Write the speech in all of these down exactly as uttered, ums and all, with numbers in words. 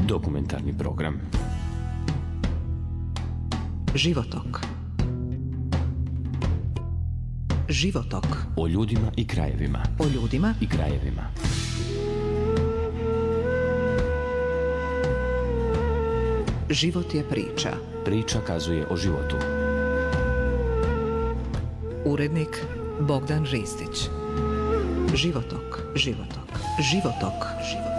Dokumentarni program. Životok. Životok. O ljudima i krajevima. O ljudima i krajevima. Život je priča. Priča kazuje o životu. Urednik Bogdan Ristić. Životok, životok, životok, životok.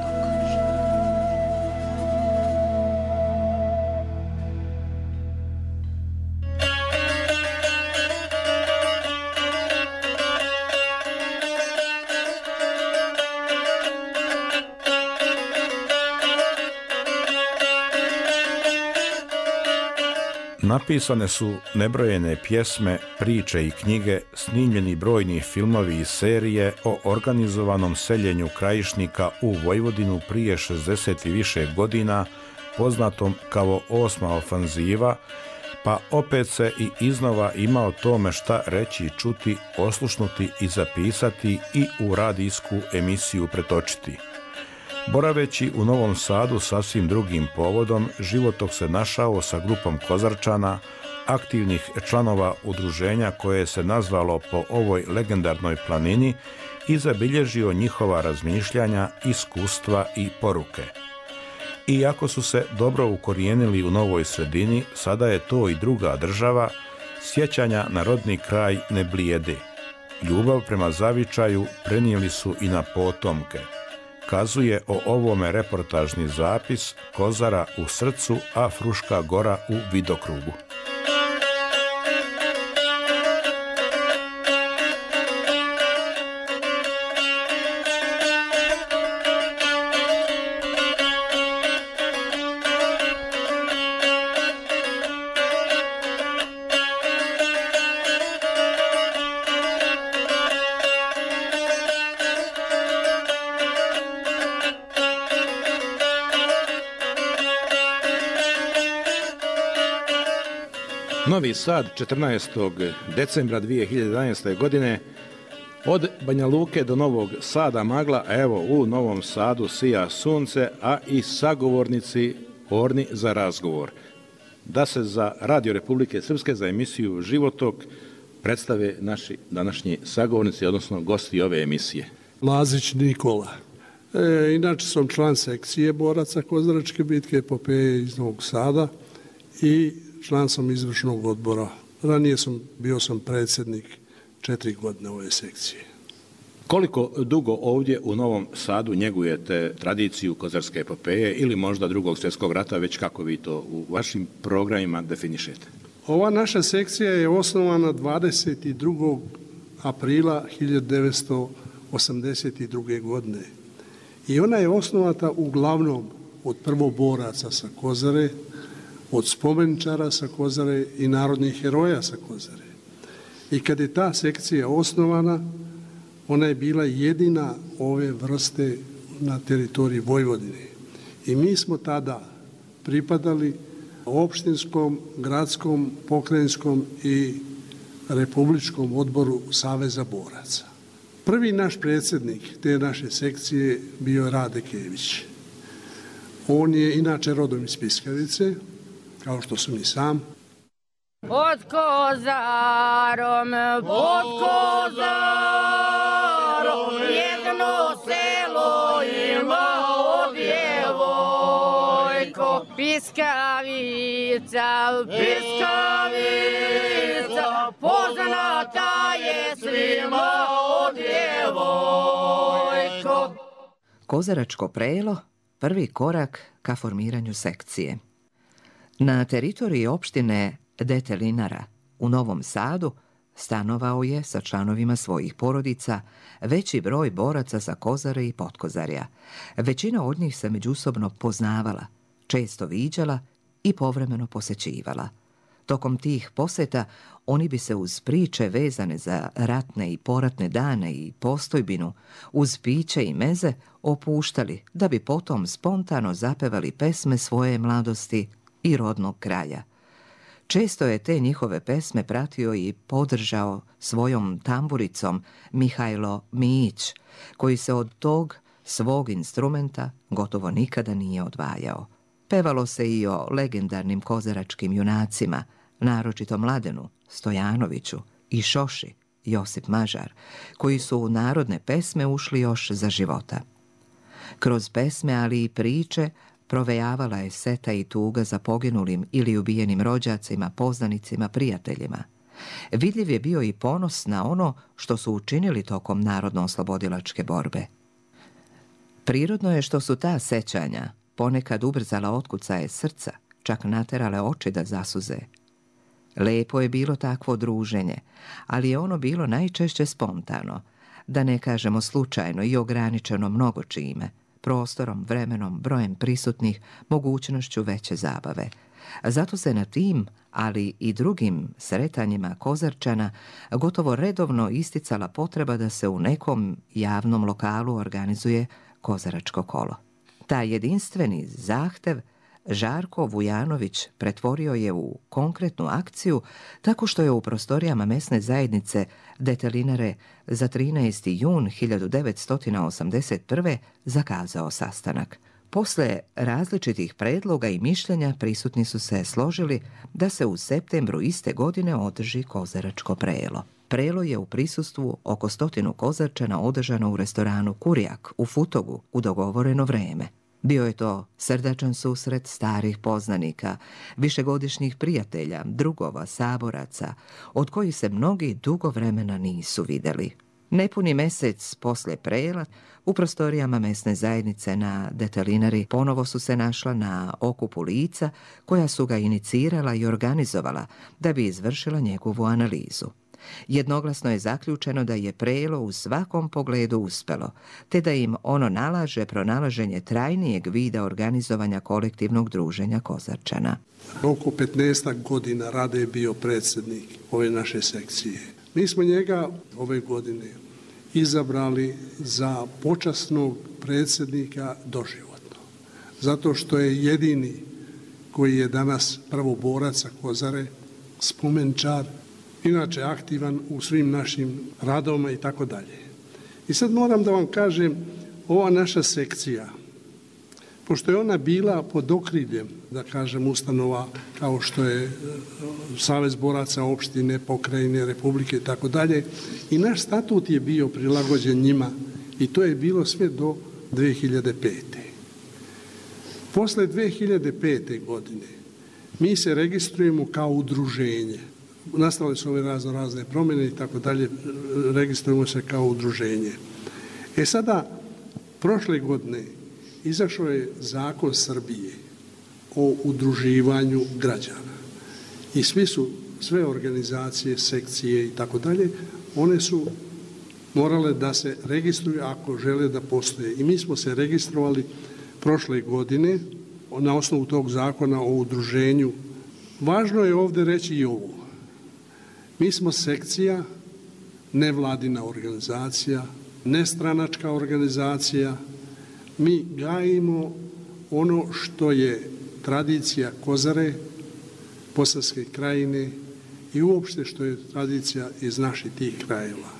Napisane su nebrojene pjesme, priče i knjige, snimljeni brojni filmovi i serije o organizovanom seljenju krajišnika u Vojvodinu prije šezdeset i više godina, poznatom kao osma ofanziva, pa opet se i iznova ima o tome šta reći i čuti, oslušnuti i zapisati i u radijsku emisiju pretočiti. Boraveći u Novom Sadu sasvim drugim povodom, Životok se našao sa grupom Kozarčana, aktivnih članova udruženja koje se nazvalo po ovoj legendarnoj planini i zabilježio njihova razmišljanja, iskustva i poruke. Iako su se dobro ukorijenili u novoj sredini, sada je to i druga država, sjećanja na rodni kraj ne blijede. Ljubav prema zavičaju prenijeli su i na potomke. Kazuje o ovome reportažni zapis Kozara u srcu, a Fruška Gora u vidokrugu. Novi Sad, četrnaestog decembra dvije hiljade jedanaeste. godine, od Banja Luke do Novog Sada magla, a evo u Novom Sadu sija sunce, a i sagovornici orni za razgovor. Da se za Radio Republike Srpske, za emisiju Životok, predstave naši današnji sagovornici, odnosno gosti ove emisije. Lazić Nikola. E, inače sam član sekcije boraca Kozaračke bitke epopeje iz Novog Sada i član sam izvršnog odbora. Ranije sam bio sam predsjednik četiri godine ove sekcije. Koliko dugo ovdje u Novom Sadu njegujete tradiciju kozarske epopeje ili možda drugog svjetskog rata, već kako vi to u vašim programima definišete? Ova naša sekcija je osnovana dvadeset drugog aprila hiljadu devetsto osamdeset druge. godine. I ona je osnovata uglavnom od prvoboraca sa Kozare, od spomeničara sa Kozare i narodnih heroja sa Kozare. I kad je ta sekcija osnovana, ona je bila jedina ove vrste na teritoriji Vojvodine. I mi smo tada pripadali opštinskom, gradskom, pokrajinskom i republičkom odboru Saveza boraca. Prvi naš predsjednik te naše sekcije bio je Rade Kević. On je inače rodom iz Piskavice, kao što sam i sam. Pod Kozarom, pod Kozarom, jedno selo ima od djevojko. Piskavica, Piskavica, poznata je svima od djevojko. Kozaračko prelo, prvi korak ka formiranju sekcije. Na teritoriji opštine Detelinara u Novom Sadu stanovao je sa članovima svojih porodica veći broj boraca sa Kozare i Potkozarja. Većina od njih se međusobno poznavala, često viđala i povremeno posećivala. Tokom tih poseta oni bi se uz priče vezane za ratne i poratne dane i postojbinu, uz piće i meze opuštali da bi potom spontano zapevali pesme svoje mladosti i rodnog kraja. Često je te njihove pesme pratio i podržao svojom tamburicom Mihajlo Mijić, koji se od tog svog instrumenta gotovo nikada nije odvajao. Pevalo se i o legendarnim kozaračkim junacima, naročito Mladenu, Stojanoviću i Šoši, Josip Mažar, koji su u narodne pesme ušli još za života. Kroz pesme, ali i priče, provejavala je seta i tuga za poginulim ili ubijenim rođacima, poznanicima, prijateljima. Vidljiv je bio i ponos na ono što su učinili tokom narodno-oslobodilačke borbe. Prirodno je što su ta sećanja ponekad ubrzala otkucaje srca, čak naterale oči da zasuze. Lepo je bilo takvo druženje, ali je ono bilo najčešće spontano, da ne kažemo slučajno i ograničeno mnogo čime, prostorom, vremenom, brojem prisutnih, mogućnošću veće zabave. Zato se na tim, ali i drugim sretanjima Kozarčana gotovo redovno isticala potreba da se u nekom javnom lokalu organizuje kozaračko kolo. Taj jedinstveni zahtev Žarko Vujanović pretvorio je u konkretnu akciju tako što je u prostorijama mesne zajednice Detelinare za trinaesti jun hiljadu devetsto osamdeset prve. zakazao sastanak. Posle različitih predloga i mišljenja prisutni su se složili da se u septembru iste godine održi kozaračko prelo. Prelo je u prisustvu oko stotinu Kozarčana održano u restoranu Kurjak u Futogu u dogovoreno vreme. Bio je to srdačan susret starih poznanika, višegodišnjih prijatelja, drugova, saboraca, od kojih se mnogi dugo vremena nisu videli. Nepuni mesec posle prela, u prostorijama mesne zajednice na Detelinari ponovo su se našla na okupu lica koja su ga inicirala i organizovala da bi izvršila njegovu analizu. Jednoglasno je zaključeno da je prelo u svakom pogledu uspelo, te da im ono nalaže pronalaženje trajnijeg vida organizovanja kolektivnog druženja Kozarčana. Oko petnaestak godina Rade je bio predsjednik ove naše sekcije. Mi smo njega ove godine izabrali za počasnog predsjednika doživotno, zato što je jedini koji je danas prvoborac sa Kozare, spomenčar, inače aktivan u svim našim radovima i tako dalje. I sad moram da vam kažem, ova naša sekcija, pošto je ona bila pod okriljem, da kažem, ustanova kao što je Savez boraca opštine, pokrajine, republike i tako dalje, i naš statut je bio prilagođen njima i to je bilo sve do dve hiljade pete. Posle dve hiljade pete. godine mi se registrujemo kao udruženje. Nastale su ove razno razne promjene i tako dalje, registrujemo se kao udruženje. E sada, prošle godine izašao je zakon Srbije o udruživanju građana i svi su, sve organizacije, sekcije i tako dalje, one su morale da se registruju ako žele da postoje. I mi smo se registrovali prošle godine na osnovu tog zakona o udruženju. Važno je ovdje reći i ovo. Mi smo sekcija, nevladina organizacija, nestranačka organizacija. Mi gajimo ono što je tradicija Kozare, Posavske krajine i uopšte što je tradicija iz naših tih krajeva.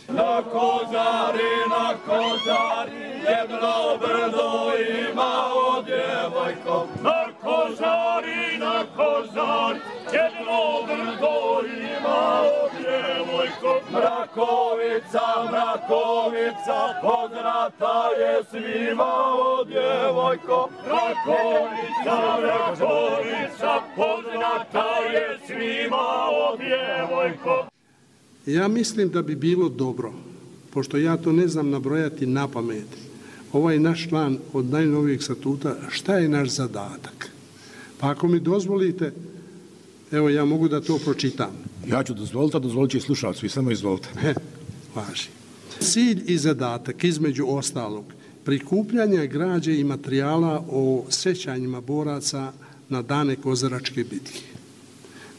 Na Kozari, na Kozari, jedno brdo ima o djevojko. Na Kozari, na Kozari, jedno brdo ima o djevojko. Mrakovica, Mrakovica, poznata je svima o djevojko. Mrakovica, Mrakovica, poznata je svima o djevojko. Ja mislim da bi bilo dobro, pošto ja to ne znam nabrojati na pamet, ovaj naš član od najnovijeg statuta, šta je naš zadatak? Pa ako mi dozvolite, evo ja mogu da to pročitam. Ja ću dozvoliti, a dozvolit će i slušalcu, i samo izvolite. He, važi. Cilj i zadatak, između ostalog, prikupljanja građe i materijala o sećanjima boraca na dane Kozaračke bitke.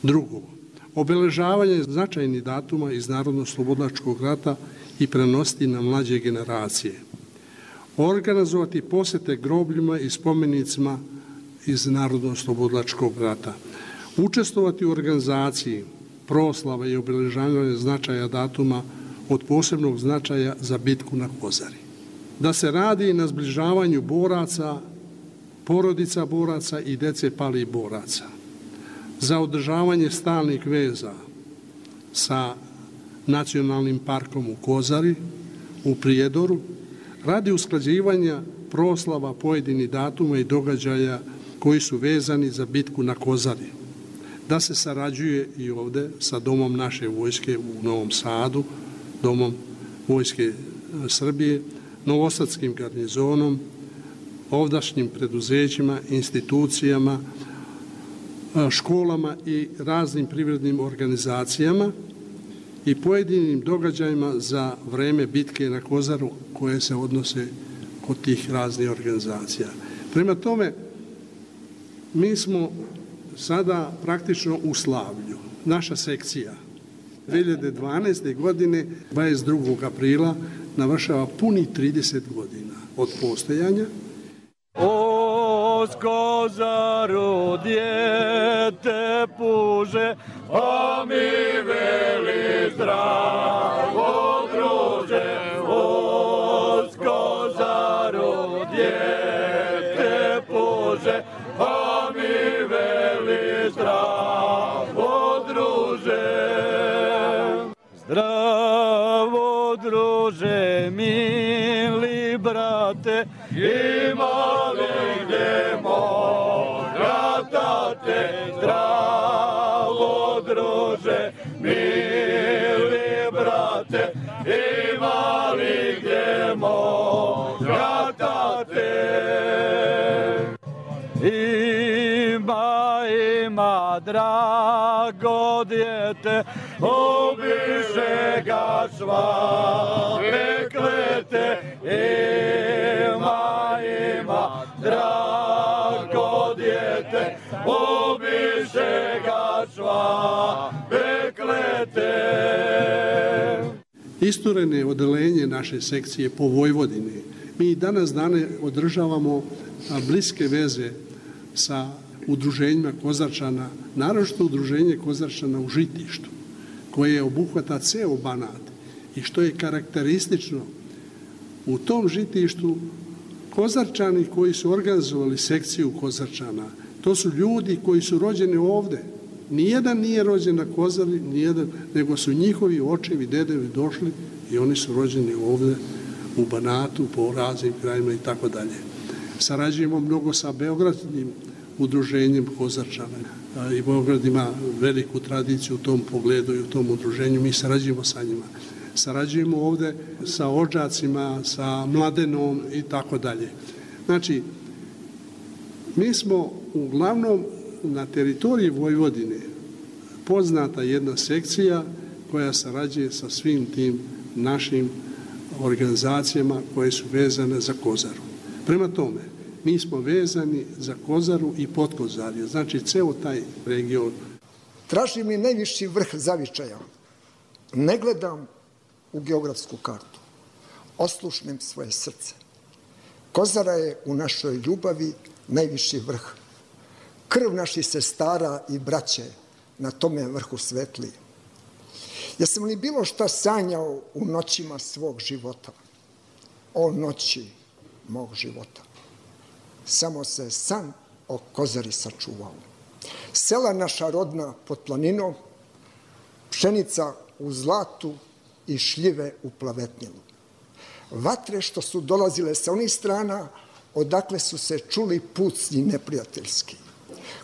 Drugo, obeležavanje značajnih datuma iz Narodno-slobodilačkog rata i prenositi na mlađe generacije. Organizovati posete grobljima i spomenicima iz Narodno-slobodilačkog rata. Učestvovati u organizaciji proslava i obeležavanja značaja datuma od posebnog značaja za bitku na Kozari. Da se radi na zbližavanju boraca porodica boraca i dece palih boraca, za održavanje stalnih veza sa Nacionalnim parkom u Kozari, u Prijedoru, radi usklađivanja proslava pojedinih datuma i događaja koji su vezani za bitku na Kozari, da se sarađuje i ovde sa Domom naše vojske u Novom Sadu, Domom vojske Srbije, Novosadskim garnizonom, ovdašnjim preduzećima, institucijama, školama i raznim privrednim organizacijama i pojedinim događajima za vreme bitke na Kozaru koje se odnose kod tih raznih organizacija. Prema tome, mi smo sada praktično u slavlju. Naša sekcija dve hiljade dvanaeste. godine, dvadeset drugog aprila, navršava puni trideset godina od postojanja. O Kozaru dijete puže, a mi veli zdravo druže. O Kozaru dijete puže, a mi veli zdravo druže. Zdravo druže, mili brate, ima li gdje moga tate? Zdravo druže, mili brate, ima li gdje moga tate? Ima, ima, drago djete, obiše ga svake klete. Ima, ima, drago djete, obiše ga svake klete. Istureno je odelenje naše sekcije po Vojvodini. Mi danas dane održavamo bliske veze sa udruženjima Kozarčana, naročito udruženje Kozarčana u Žitištu, koje obuhvata ceo Banat i što je karakteristično u tom Žitištu, Kozarčani koji su organizovali sekciju Kozarčana, to su ljudi koji su rođeni ovde. Nijedan nije rođen na Kozari, nijedan, nego su njihovi očevi, dedevi došli i oni su rođeni ovde u Banatu, po raznim krajima i tako dalje. Sarađujemo mnogo sa Beogradskim udruženjem Kozarčana. I Beograd ima veliku tradiciju u tom pogledu i u tom udruženju. Mi sarađujemo sa njima. Sarađujemo ovde sa Odžacima, sa Mladenom i tako dalje. Znači, mi smo uglavnom na teritoriji Vojvodine poznata jedna sekcija koja sarađuje sa svim tim našim organizacijama koje su vezane za Kozaru. Prema tome, mi smo vezani za Kozaru i Podkozarje, znači ceo taj region. Tražim i najviši vrh zavičaja. Ne gledam u geografsku kartu. Oslušnem svoje srce. Kozara je u našoj ljubavi najviši vrh. Krv naših sestara i braće na tome vrhu svetli. Jesam li bilo šta sanjao u noćima svog života? O noći mog života. Samo se san o Kozari sačuvao. Sela naša rodna pod planinom, pšenica u zlatu i šljive u plavetnjelu. Vatre što su dolazile sa onih strana, odakle su se čuli pucnji neprijateljski.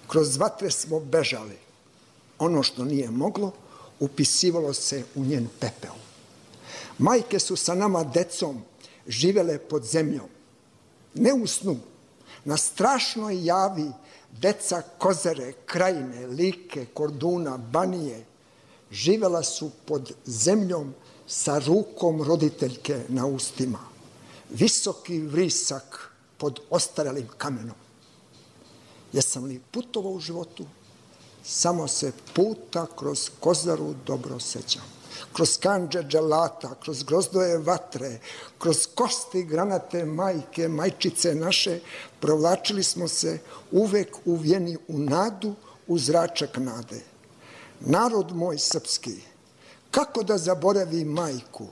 Kroz vatre smo bežali. Ono što nije moglo, upisivalo se u njen pepeo. Majke su sa nama decom živele pod zemljom. Ne u snu, na strašnoj javi deca Kozare, Krajine, Like, Korduna, Banije živela su pod zemljom sa rukom roditeljke na ustima. Visoki vrisak pod ostarelim kamenom. Jesam li putovao u životu? Samo se puta kroz Kozaru dobro sećam. Kroz kandže dželata, kroz grozdoje vatre, kroz kosti granate majke, majčice naše, provlačili smo se uvek uvjeni u nadu, u zračak nade. Narod moj srpski, kako da zaboravi majku,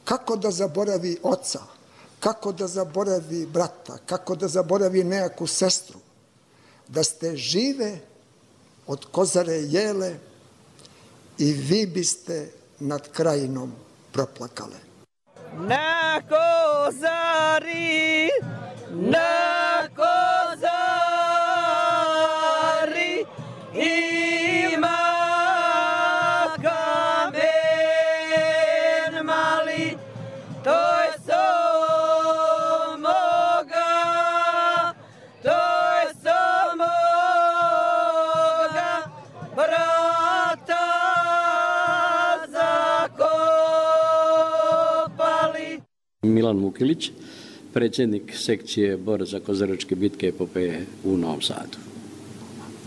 kako da zaboravi oca, kako da zaboravi brata, kako da zaboravi nejaku sestru, da ste žive od Kozare jele i vi biste nad krajinom proplakale. Na Kozari, na Kozari ima kamen mali, to je so moga, to je so moga brata zakopali. Milan Mukilić, predsjednik sekcije Bor za kozaračke bitke epopeje u Novom Sadu.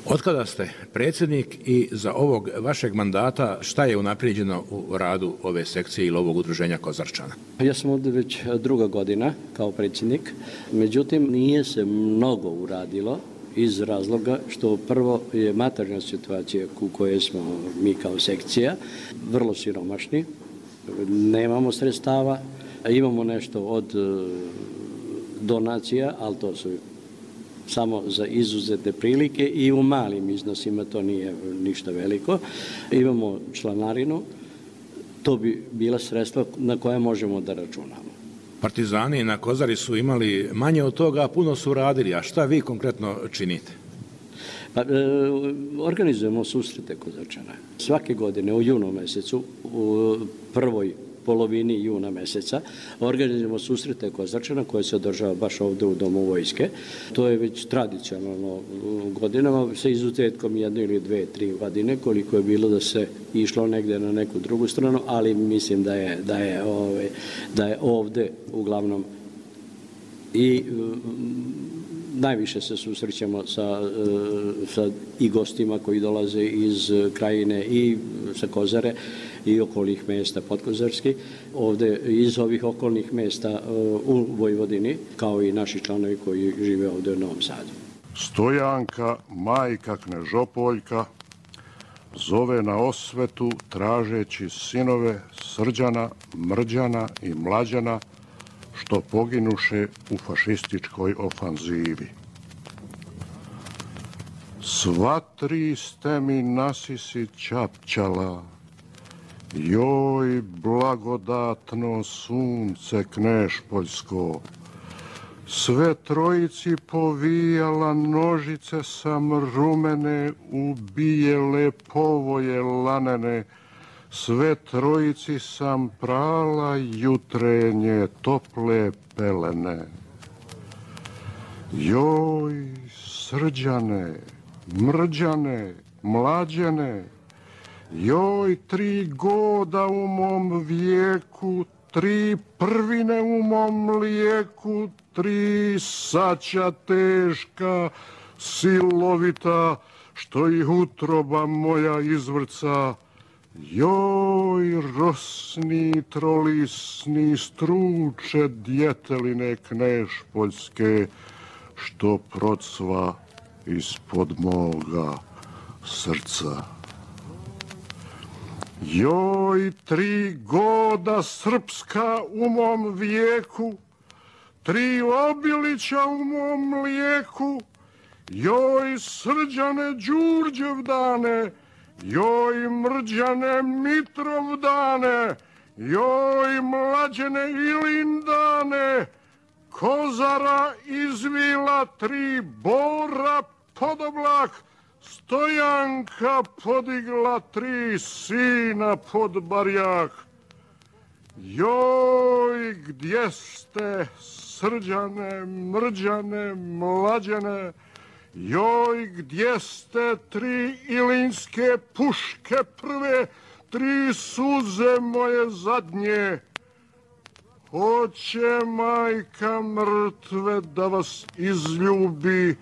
Otkada ste predsjednik i za ovog vašeg mandata šta je unaprijeđeno u radu ove sekcije ili ovog udruženja Kozarčana? Ja sam ovdje već druga godina kao predsjednik, međutim nije se mnogo uradilo iz razloga što prvo je materijalna situacija u kojoj smo mi kao sekcija vrlo siromašni, nemamo sredstava, imamo nešto od donacija, ali to su samo za izuzetne prilike i u malim iznosima, to nije ništa veliko. Imamo članarinu, to bi bila sredstva na koje možemo da računamo. Partizani na Kozari su imali manje od toga, a puno su radili. A šta vi konkretno činite? Pa, e, organizujemo susrete Kozarčana. Svake godine u junu mesecu, u prvoj polovini juna meseca, organizujemo susrete Kozarčana koje se održava baš ovdje u Domu vojske. To je već tradicionalno godinama, sa izuzetkom jedne ili dve, tri godine, koliko je bilo da se išlo negdje na neku drugu stranu, ali mislim da je, da je, ove, da je ovdje uglavnom i najviše se susrećemo sa, sa i gostima koji dolaze iz Krajine i sa Kozare i okolnih mjesta podkozarskih, ovdje iz ovih okolnih mjesta u Vojvodini, kao i naši članovi koji žive ovdje u Novom Sadu. Stojanka, majka Knežopoljka, zove na osvetu tražeći sinove Srđana, Mrđana i Mlađana, što poginuše u fašističkoj ofanzivi. Sva tri ste mi nasisi čapčala, joj blagodatno sunce Knežpoljsko, sve trojici povijala nožice sam rumene, ubijele povoje lanene, sve trojici sam prala jutrenje tople pelene. Joj, Srđane, Mrđane, Mlađene, joj, tri goda u mom vijeku, tri prvine u mom mlijeku, tri saća teška, silovita, što ih utroba moja izvrca. Joj, rosni, trolisni, struče djeteline Knežpoljske, što procva ispod moga srca. Joj, tri goda srpska u mom vijeku, tri obilića u mom mlijeku, joj, Srđane Đurđevdane, joj, Mrđane Mitrovdane, joj, Mlađene Ilindane, Kozara izvila tri bora pod oblak, Stojanka podigla tri sina pod barjak. Joj, gdje ste, Srđane, Mrđane, Mlađene, joj, gdje ste tri ilinske puške prve, tri suze moje zadnje. Hoće majka mrtve da vas izljubi,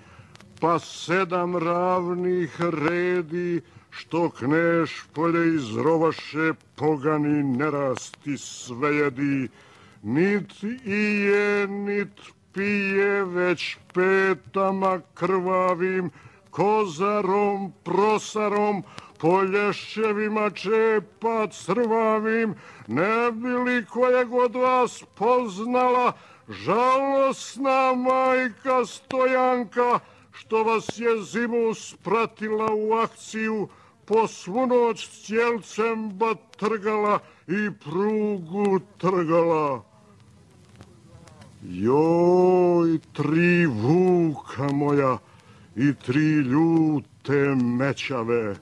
pa sedam ravnih redi, što Knežpolje izrovaše pogani nerasti svejedi. Nit i je, nit pije, već petama krvavim, Kozarom, Prosarom, Polješćevima čepa crvavim, ne bi li kojeg od vas poznala, žalosna majka Stojanka, što vas je zimu spratila u akciju, po svu noć cijelcem batrgala i prugu trgala. Joj, tri vuka moja i tri ljute mećave,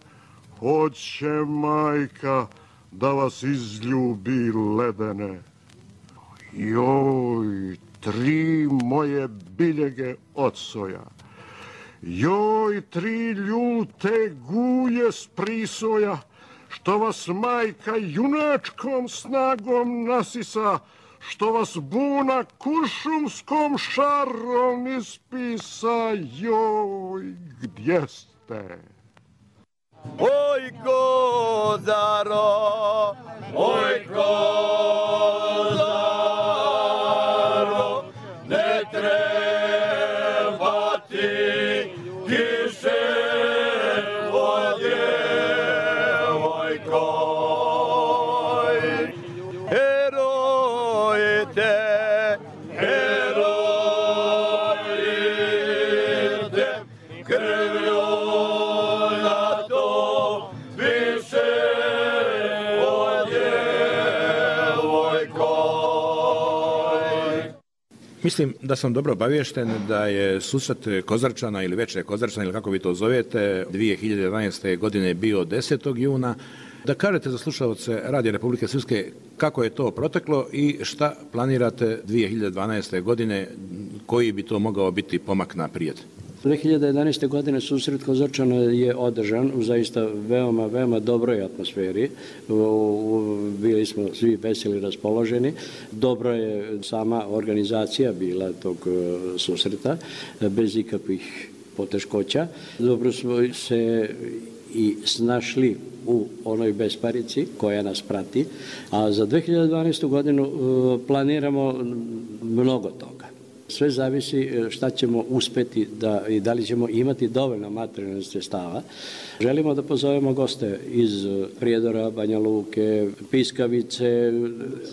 hoće majka da vas izljubi ledene. Joj, tri moje biljege ocoja, joj, tri ljute gulje s prisoja, što vas majka junačkom snagom nasisa, što vas buna kuršumskom šarom ispisa, joj, gdje ste? Oj, Kozaro, oj, Kozaro, ne treba ti kiše od djevojkoj. Herojte, herojte, krvlju na to više od djevojkoj. Mislim da sam dobro obaviješten da je susret Kozarčana ili Večer Kozarčana ili kako vi to zovete dvije hiljade jedanaeste. godine bio desetog juna. Da kažete za slušalce Radija Republike Srpske kako je to proteklo i šta planirate dvije hiljade dvanaeste. godine, koji bi to mogao biti pomak naprijed? dvije hiljade jedanaeste. godine susret Kozarčana je održan u zaista veoma, veoma dobroj atmosferi. Bili smo svi veseli raspoloženi. Dobro je sama organizacija bila tog susreta, bez ikakvih poteškoća. Dobro smo se i snašli u onoj besparici koja nas prati, a za dvije hiljade dvanaestu. godinu planiramo mnogo toga. Sve zavisi šta ćemo uspeti da, i da li ćemo imati dovoljno materijalnih sredstava. Želimo da pozovemo goste iz Prijedora, Banja Luke, Piskavice,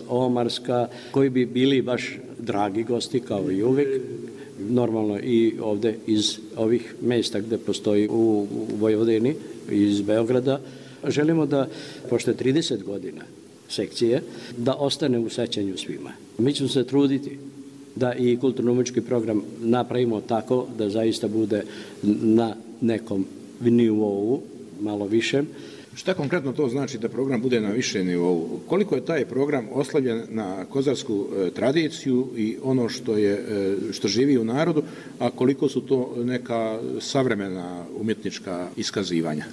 Omarska, koji bi bili baš dragi gosti kao i uvek. Normalno i ovde iz ovih mesta gde postoji u Vojvodini, iz Beograda. Želimo da, pošto je trideset godina sekcije, da ostane u sećanju svima. Mi ćemo se truditi da i kulturno-umetnički program napravimo tako da zaista bude na nekom nivou, malo višem. Šta konkretno to znači da program bude na više nivou? Koliko je taj program oslavljen na kozarsku e, tradiciju i ono što je e, što živi u narodu, a koliko su to neka savremena umjetnička iskazivanja?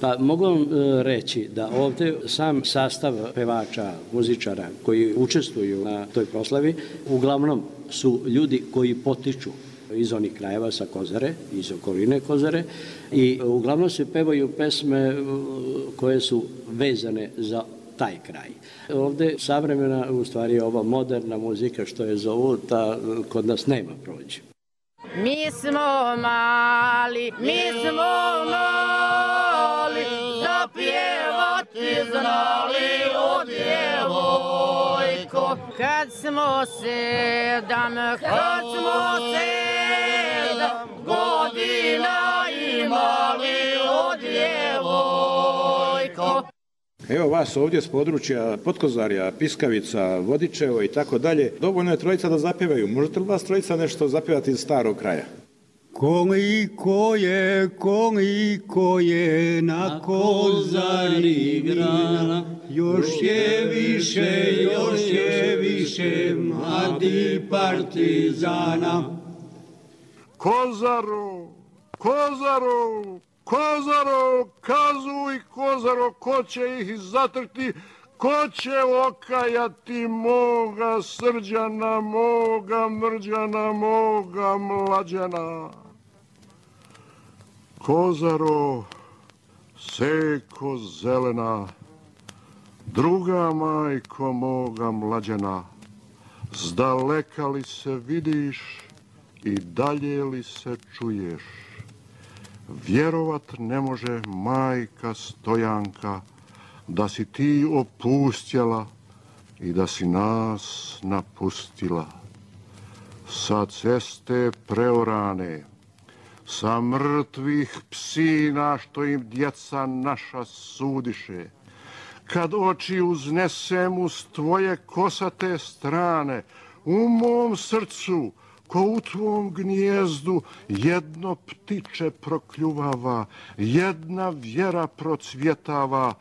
Pa mogu vam reći da ovde sam sastav pevača, muzičara koji učestvuju na toj proslavi uglavnom su ljudi koji potiču iz onih krajeva sa Kozare, iz okoline Kozare i uglavnom se pevaju pesme koje su vezane za taj kraj. Ovde savremena, u stvari ova moderna muzika što je zovu, ta kod nas nema prođe. Mi smo mali, mi smo mali, zapjevati znali o djevojko. Kad smo sedam, kad smo sedam godina imali o djevojko. Evo vas ovdje s područja Potkozarja, Piskavica, Vodičevo i tako dalje. Dovoljno je trojica da zapjevaju. Možete li vas trojica nešto zapjevati iz starog kraja? Koliko je, koliko je na Kozari grana, još je više, još je više mladi partizana. Kozaro, Kozaro, Kozaro, kazuj Kozaro, ko će ih zatrti, ko će okajati moga Srđana, moga Mrđana, moga Mlađana. Kozaro, seko zelena, druga majko moga Mlađana, zdaleka li se vidiš i dalje li se čuješ? Vjerovat ne može majka Stojanka da si ti opustjela i da si nas napustila. sa ceste preorane, sa mrtvih psina što im djeca naša sudiše, kad oči uznesem uz tvoje kosate strane, u mom srcu, ko u tvom gnijezdu, jedno ptiče prokljuvava, jedna vjera procvjetava.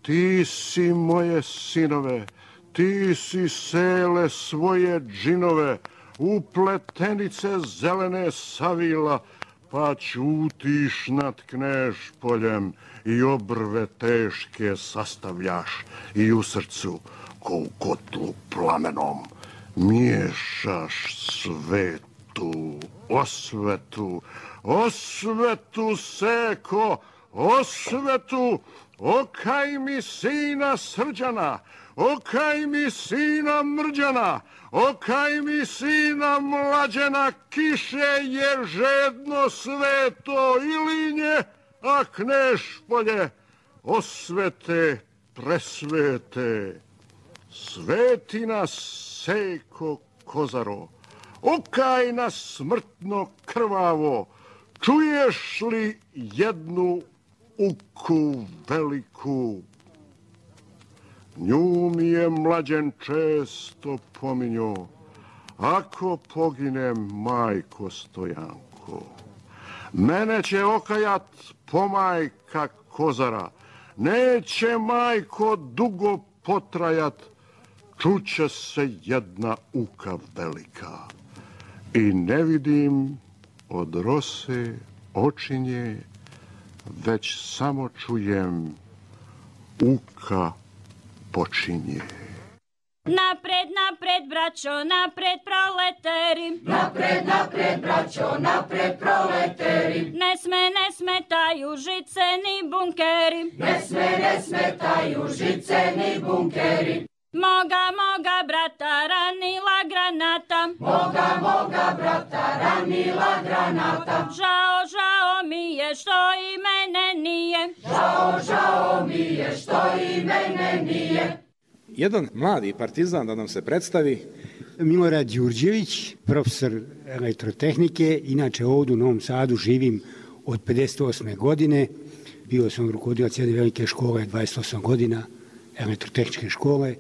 Ti si moje sinove, ti si sele svoje džinove, u pletenice zelene savila, pa ćutiš nad Knežpoljem i obrve teške sastavljaš i u srcu, ko u kotlu plamenom, miješaš svetu osvetu, osvetu seko, osvetu, okaj mi sina Srđana, okaj mi sina Mrđana, okaj mi sina Mlađena, kiše je žedno sveto Ilinje, a Knežpolje osvete presvete. Sveti nas seko Kozaro, okaj nas smrtno krvavo, čuješ li jednu uku veliku? Nju mi je Mlađen često pominjo, ako poginem, majko Stojanko, mene će okajat pomajka Kozara, neće, majko, dugo potrajat, čuće se jedna uka velika. I ne vidim od rose očinje, već samo čujem uka počinje. Napred, napred, braćo, napred, proleteri. Napred, napred, braćo, napred, proleteri. Ne sme, ne smetaju žice ni bunkeri. Ne sme, ne smetaju žice ni bunkeri. Moga, moga brata ranila granata. Moga, moga brata ranila granata. Žao, žao mi je što i mene nije. Žao, žao mi je što i mene nije. Jedan mladi partizan da nam se predstavi. Milorad Đurđević, profesor elektrotehnike, inače ovdje u Novom Sadu živim od pedeset osme godine. Bio sam rukovodilac jedne velike škole, dvadeset osam godina, elektrotehničke škole.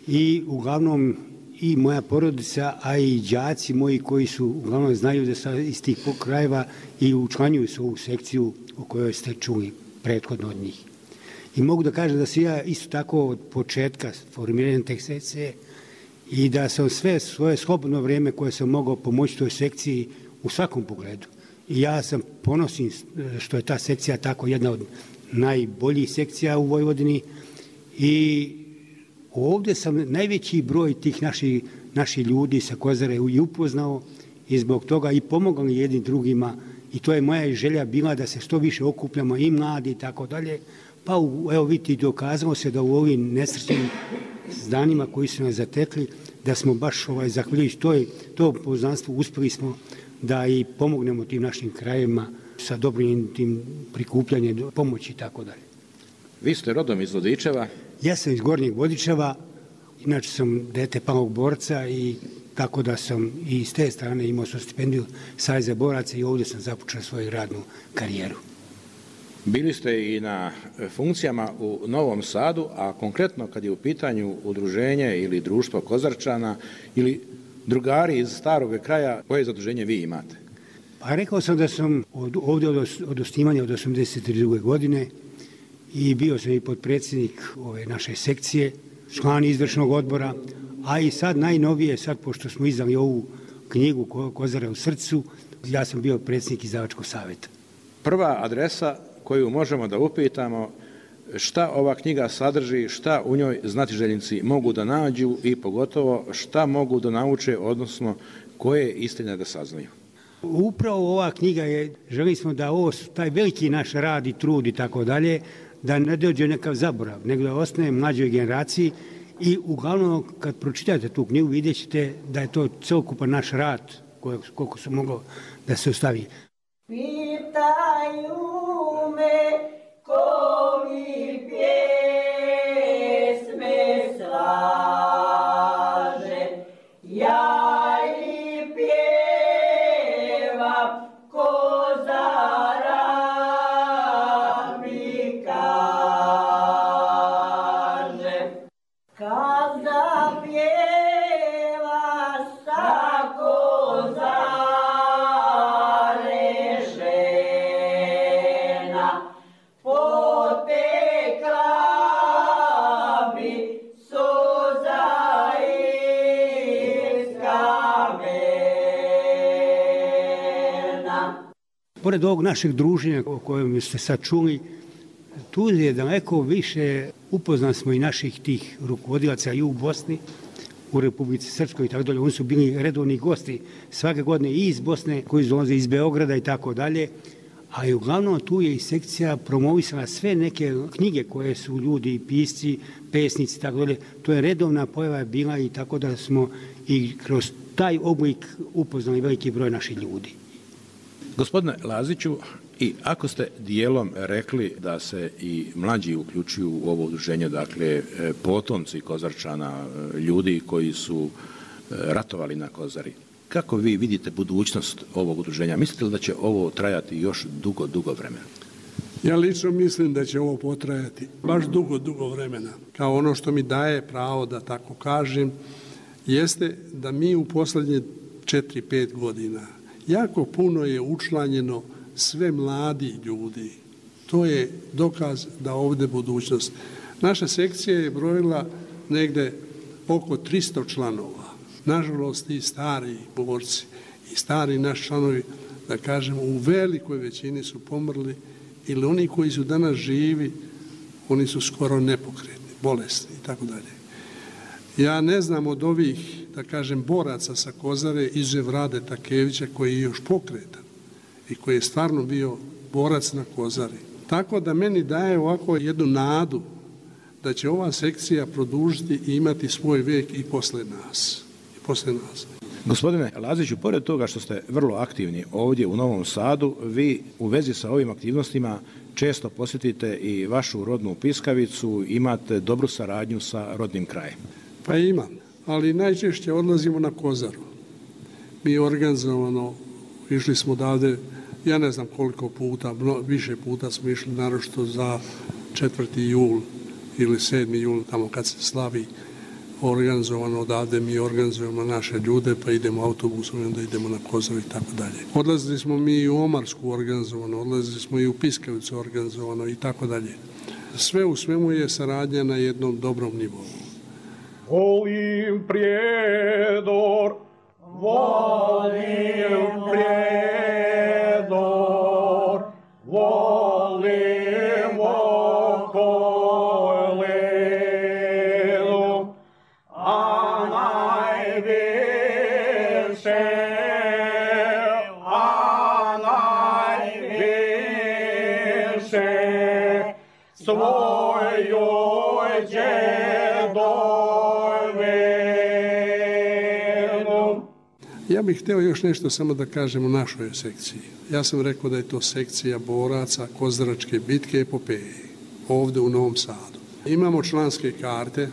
I uglavnom i moja porodica, a i đaci moji koji su uglavnom znaju da sam iz tih krajeva i učlanjuju se u ovu sekciju o kojoj ste čuli prethodno od njih. I mogu da kažem da sam ja isto tako od početka formiranja te sekcije i da sam sve svoje slobodno vrijeme koje sam mogao pomoći toj sekciji u svakom pogledu. I ja sam ponosim što je ta sekcija tako jedna od najboljih sekcija u Vojvodini i ovdje sam najveći broj tih naših, naših ljudi sa Kozare i upoznao i zbog toga i pomogao jednim drugima i to je moja želja bila da se što više okupljamo i mladi i tako dalje. Pa evo vidite, dokazalo se da u ovim nesrećnim danima koji su nas zatekli, da smo baš ovaj, zahvaljujući toj, tom poznanstvu uspjeli smo da i pomognemo tim našim krajevima sa dobrim tim prikupljanjem pomoći i tako dalje. Vi ste rodom iz Vodičeva. Ja sam iz Gornjeg Vodičeva, inače sam dete palog borca i tako da sam i s te strane imao sam stipendiju Saveza boraca i ovdje sam započeo svoju radnu karijeru. Bili ste i na funkcijama u Novom Sadu, a konkretno kad je u pitanju udruženje ili društvo Kozarčana ili drugari iz starog kraja, koje zaduženje vi imate? Pa rekao sam da sam od, ovdje od, od osnivanja od osamdeset druge godine i bio sam i potpredsjednik ove naše sekcije, član izvršnog odbora, a i sad najnovije, sad pošto smo izdali ovu knjigu Kozara u srcu, ja sam bio predsjednik izdavačkog savjeta. Prva adresa koju možemo da upitamo šta ova knjiga sadrži, šta u njoj znatiželjnici mogu da nađu i pogotovo šta mogu da nauče, odnosno koje istine da saznaju. Upravo ova knjiga je, želi smo da ovo, taj veliki naš rad i trud i tako dalje, da ne dođe nekav zaborav, nego da ostane mlađoj generaciji i uglavnom kad pročitate tu knjigu vidjet ćete da je to celokupan naš rad koliko se moglo da se ostavi. Pitaju me ko mi pjesme slaže, ja i pjesme Kada pjevaš tako zarešena, potekla bi suza iz kamena. Pored ovog našeg druženja o kojem ste sad čuli, tu je daleko više upoznan smo i naših tih rukovodilaca i u Bosni, u Republici Srpskoj i tako dalje. Oni su bili redovni gosti svake godine i iz Bosne, koji dolaze iz Beograda i tako dalje. Ali uglavnom tu je i sekcija promovisala sve neke knjige koje su ljudi, pisci, pesnici i tako dalje. To je redovna pojava bila i tako da smo i kroz taj oblik upoznali veliki broj naših ljudi. Gospodine Laziću, i ako ste dijelom rekli da se i mlađi uključuju u ovo udruženje, dakle potomci Kozarčana, ljudi koji su ratovali na Kozari, kako vi vidite budućnost ovog udruženja? Mislite li da će ovo trajati još dugo, dugo vremena? Ja lično mislim da će ovo potrajati baš dugo, dugo vremena. Kao ono što mi daje pravo da tako kažem, jeste da mi u poslednje četiri pet godina jako puno je učlanjeno sve mladi ljudi. To je dokaz da ovde budućnost. Naša sekcija je brojila negde oko tristo članova. Nažalost i stari borci i stari naši članovi, da kažemo, u velikoj većini su pomrli, ili oni koji su danas živi, oni su skoro nepokretni, bolesni i tako dalje. Ja ne znam od ovih, da kažem, boraca sa Kozare, izuzev Rade Takevića, koji je još pokretan i koji je stvarno bio borac na Kozari. Tako da meni daje ovako jednu nadu da će ova sekcija produžiti i imati svoj vek i posle nas. I posle nas. Gospodine Laziću, pored toga što ste vrlo aktivni ovdje u Novom Sadu, vi u vezi sa ovim aktivnostima često posjetite i vašu rodnu Piskavicu, imate dobru saradnju sa rodnim krajem. Pa imam, ali najčešće odlazimo na Kozaru. Mi organizovano išli smo odavde, ja ne znam koliko puta, više puta smo išli, naročito za četvrti jul ili sedmi jul, tamo kad se slavi, organizovano odavde, mi organizujemo naše ljude, pa idemo autobusom i onda idemo na Kozaru i tako dalje. Odlazili smo mi i u Omarsku organizovano, odlazili smo i u Piskavicu organizovano i tako dalje. Sve u svemu je saradnja na jednom dobrom nivou. Volim Prijedor, volim Prijedor, volim okolinu, a najviše, a najviše svojoj djedovinu. Ja bih hteo još nešto samo da kažem o našoj sekciji. Ja sam rekao da je to sekcija boraca Kozaračke bitke epopeje, ovde u Novom Sadu. Imamo članske karte,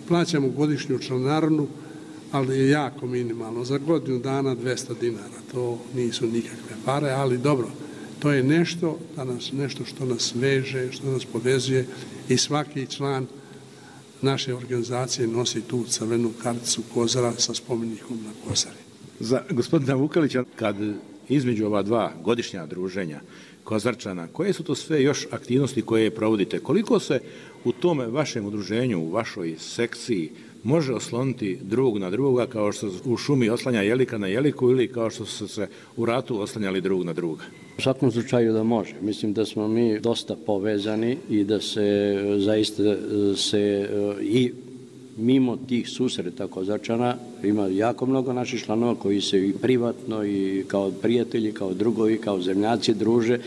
plaćamo godišnju članarinu, ali je jako minimalno. Za godinu dana dvesta dinara, to nisu nikakve pare, ali dobro, to je nešto, danas, nešto što nas veže, što nas povezuje i svaki član naše organizacije nosi tu crvenu karticu Kozara sa spomenikom na Kozari. Za gospodina Vukelića, kad između ova dva godišnja druženja Kozarčana, koje su to sve još aktivnosti koje provodite? Koliko se u tome vašem udruženju, u vašoj sekciji može osloniti drugog na drugoga, kao što u šumi oslanja jelika na jeliku ili kao što su se u ratu oslanjali drugog na druga? U svakom slučaju da može. Mislim da smo mi dosta povezani i da se zaista se i mimo tih susreta Kozarčana ima jako mnogo naših članova koji se i privatno i kao prijatelji, kao drugovi, kao zemljaci druže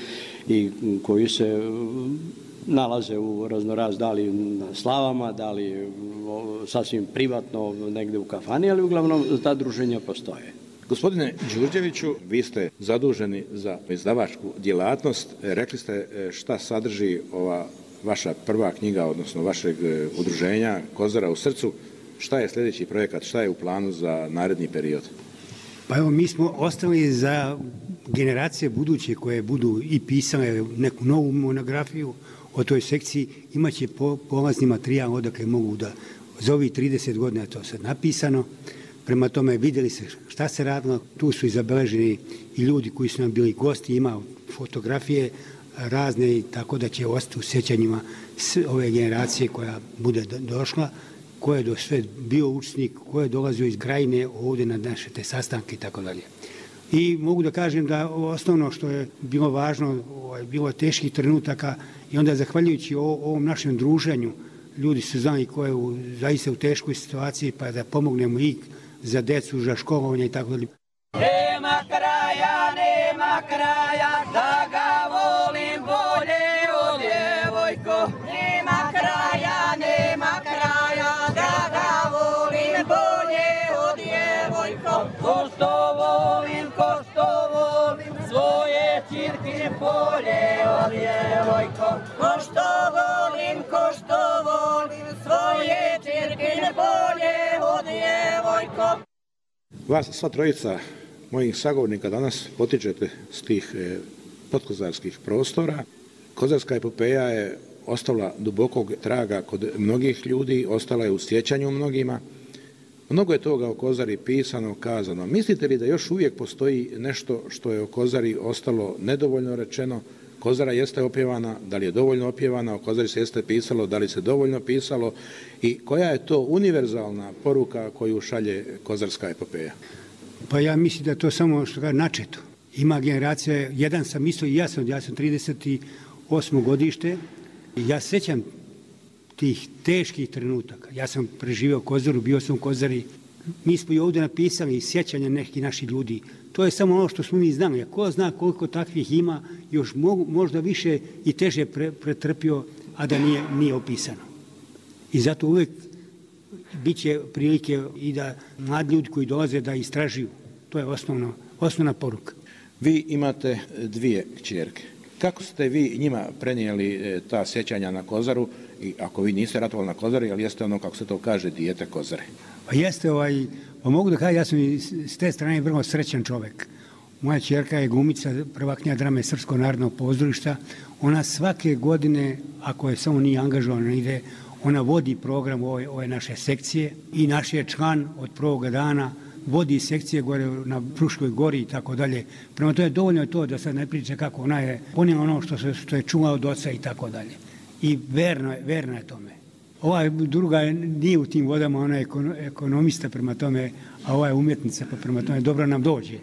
i koji se nalaze u raznoraz, da li na slavama, da li sasvim privatno negde u kafani, ali uglavnom ta druženja postoje. Gospodine Đurđeviću, vi ste zaduženi za izdavačku djelatnost. Rekli ste šta sadrži ova vaša prva knjiga, odnosno vašeg udruženja Kozara u srcu. Šta je sljedeći projekat, šta je u planu za naredni period? Pa evo, mi smo ostali za generacije buduće koje budu i pisale neku novu monografiju o toj sekciji, imaće polazni materijal odakle mogu da Za ovih trideset godina je to sad napisano. Prema tome vidjeli se šta se radilo. Tu su i zabeleženi i ljudi koji su nam bili gosti, ima fotografije razne, tako da će ostati u sjećanjima ove generacije koja bude došla, ko je do sve bio učesnik, ko je dolazio iz Krajine ovdje na naše te sastanke i tako dalje. I mogu da kažem da osnovno što je bilo važno, bilo teških trenutaka i onda zahvaljujući ovom našem druženju, ljudi su znali ko je u, zaista u teškoj situaciji, pa da pomognemo i za decu, za školovanje i tako dalje. Nema kraja, nema kraja, da ga volim bolje od djevojko. Nema kraja, nema kraja, da ga volim bolje od djevojko. Ko što volim, ko što volim, svoje ćirke bolje od djevojko. Ko što volim, ko što volim, svoje ćirke bolje od djevojko. Vas sva trojica mojih sagovornika danas potičete s tih e, podkozarskih prostora. Kozarska epopeja je ostavila dubokog traga kod mnogih ljudi, ostala je u sjećanju mnogima. Mnogo je toga o Kozari pisano, kazano. Mislite li da još uvijek postoji nešto što je o Kozari ostalo nedovoljno rečeno? Kozara jeste opjevana, da li je dovoljno opjevana, o Kozari se jeste pisalo, da li se dovoljno pisalo i koja je to univerzalna poruka koju šalje Kozarska epopeja? Pa ja mislim da to samo što ga načeto. Ima generacija, jedan sam isto i ja sam, ja sam trideset osmo godište i ja sećam tih teških trenutaka. Ja sam preživio Kozaru, bio sam u Kozari. Mi smo i ovdje napisali sjećanja nekih naših ljudi. To je samo ono što smo mi znali. Ko zna koliko takvih ima, još mogu, možda više i teže pre, pretrpio, a da nije, nije opisano. I zato uvijek bit će prilike i da mladi ljudi koji dolaze da istražuju. To je osnovno, osnovna poruka. Vi imate dvije kćerke. Kako ste vi njima prenijeli ta sjećanja na Kozaru? I ako vi niste ratovali na Kozari, ali jeste ono, kako se to kaže, dijete Kozare? Pa jeste, ovaj, pa mogu da kažem, ja sam i s te strane vrlo srećan čovjek. Moja ćerka je glumica, prvaknja drame Srpskog narodnog pozorišta. Ona svake godine, ako je samo nije angažovana, ide, ona vodi program ove, ove naše sekcije i naš je član od prvoga dana, vodi sekcije gore na Fruškoj gori i tako dalje. Prema to je dovoljno to da sad ne priča kako ona je ponijela ono što, se, što je čula od oca i tako dalje. I verno je, verno je tome. Ova druga nije u tim vodama, ona je ekonomista prema tome, a ova je umjetnica, pa prema tome dobro nam dođe.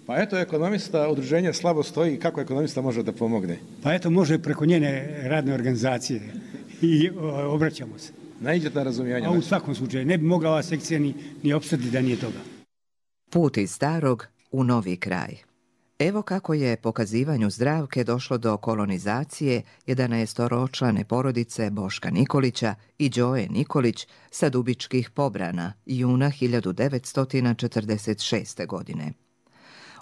Pa eto, ekonomista, udruženje slabo stoji, kako ekonomista može da pomogne? Pa eto, može preko njene radne organizacije i o, obraćamo se. Naiđete na razumijevanje? A u svakom slučaju, ne bi mogla ova sekcija ni, ni opstati da nije toga. Put iz starog u novi kraj. Evo kako je pokazivanju Zdravke došlo do kolonizacije jedanaestoročlane porodice Boška Nikolića i Đoje Nikolić sa Dubičkih Pobrana juna hiljadu devetsto četrdeset šeste. godine.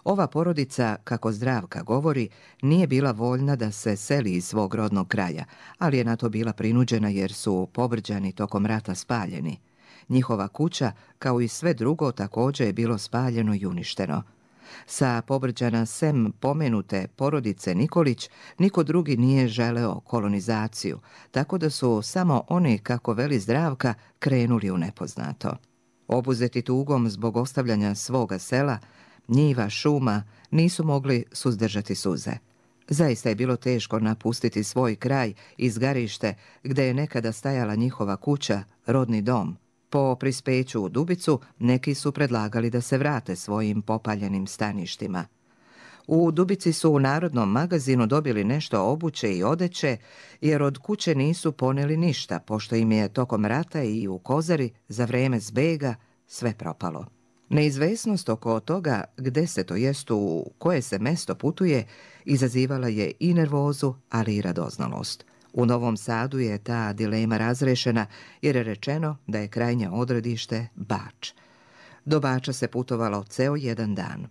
Ova porodica, kako Zdravka govori, nije bila voljna da se seli iz svog rodnog kraja, ali je na to bila prinuđena jer su Pobrđani tokom rata spaljeni. Njihova kuća, kao i sve drugo, također je bilo spaljeno i uništeno. Sa Pobrđana sem pomenute porodice Nikolić, niko drugi nije želeo kolonizaciju, tako da su samo oni, kako veli Zdravka, krenuli u nepoznato. Obuzeti tugom zbog ostavljanja svoga sela, njiva, šuma, nisu mogli suzdržati suze. Zaista je bilo teško napustiti svoj kraj, izgarište, gde je nekada stajala njihova kuća, rodni dom. Po prispeću u Dubicu, neki su predlagali da se vrate svojim popaljenim staništima. U Dubici su u Narodnom magazinu dobili nešto obuće i odeće, jer od kuće nisu poneli ništa, pošto im je tokom rata i u Kozari za vreme zbega sve propalo. Neizvesnost oko toga gde se, to jest u koje se mesto putuje, izazivala je i nervozu, ali i radoznalost. U Novom Sadu je ta dilema razrešena jer je rečeno da je krajnje odredište Bač. Do Bača se putovalo ceo jedan dan.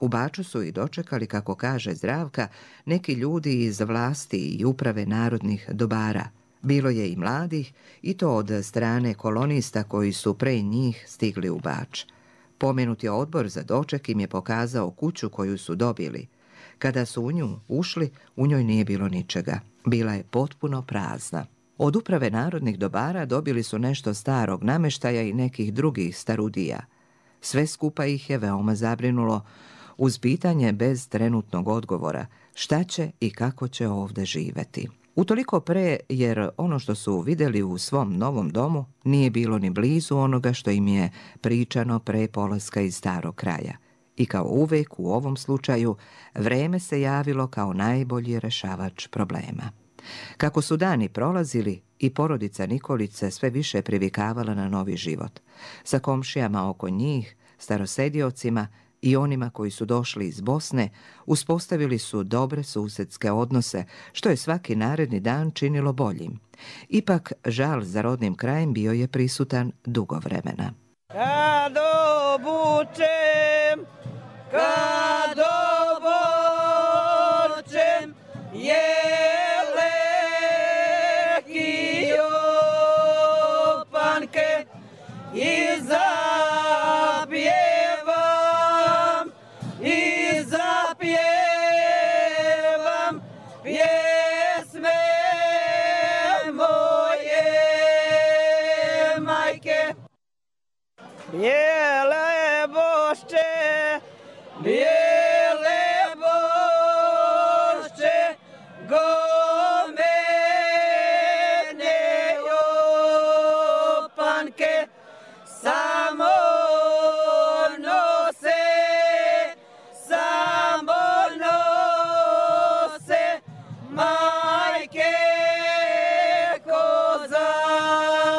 U Baču su i dočekali, kako kaže Zdravka, neki ljudi iz vlasti i uprave narodnih dobara. Bilo je i mladih, i to od strane kolonista koji su pre njih stigli u Bač. Pomenuti odbor za doček im je pokazao kuću koju su dobili. Kada su u nju ušli, u njoj nije bilo ničega. Bila je potpuno prazna. Od uprave narodnih dobara dobili su nešto starog nameštaja i nekih drugih starudija. Sve skupa ih je veoma zabrinulo, uz pitanje bez trenutnog odgovora šta će i kako će ovde živeti. Utoliko pre, jer ono što su vidjeli u svom novom domu nije bilo ni blizu onoga što im je pričano pre polaska iz starog kraja. I kao uvek u ovom slučaju, vreme se javilo kao najbolji rešavač problema. Kako su dani prolazili, i porodica Nikolić sve više privikavala na novi život. Sa komšijama oko njih, starosediocima i onima koji su došli iz Bosne, uspostavili su dobre susedske odnose, što je svaki naredni dan činilo boljim. Ipak, žal za rodnim krajem bio je prisutan dugo vremena. Kad obučem, kad obučem, jeleki opanke i zapjevam, i zapjevam pjesme moje majke. Bijele bošče, bijele bošče, gomene opanke, samo nose, samo nose majke kozarčanke.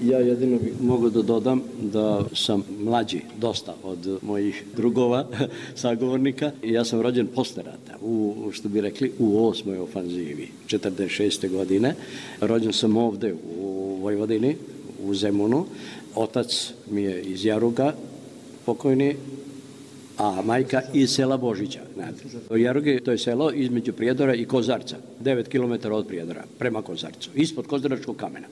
Ja jedino bih mogao da dodam da sam mlađi dosta od mojih drugova, sagovornika. Ja sam rođen posle rata, u, što bi rekli, u osmoj ofanzivi, četrdeset šeste godine. Rođen sam ovde u Vojvodini, u Zemunu. Otac mi je iz Jaruga, pokojni, a majka iz sela Božića. Jaruge, to je selo između Prijedora i Kozarca, devet kilometara od Prijedora, prema Kozarcu, ispod Kozaračkog kamena.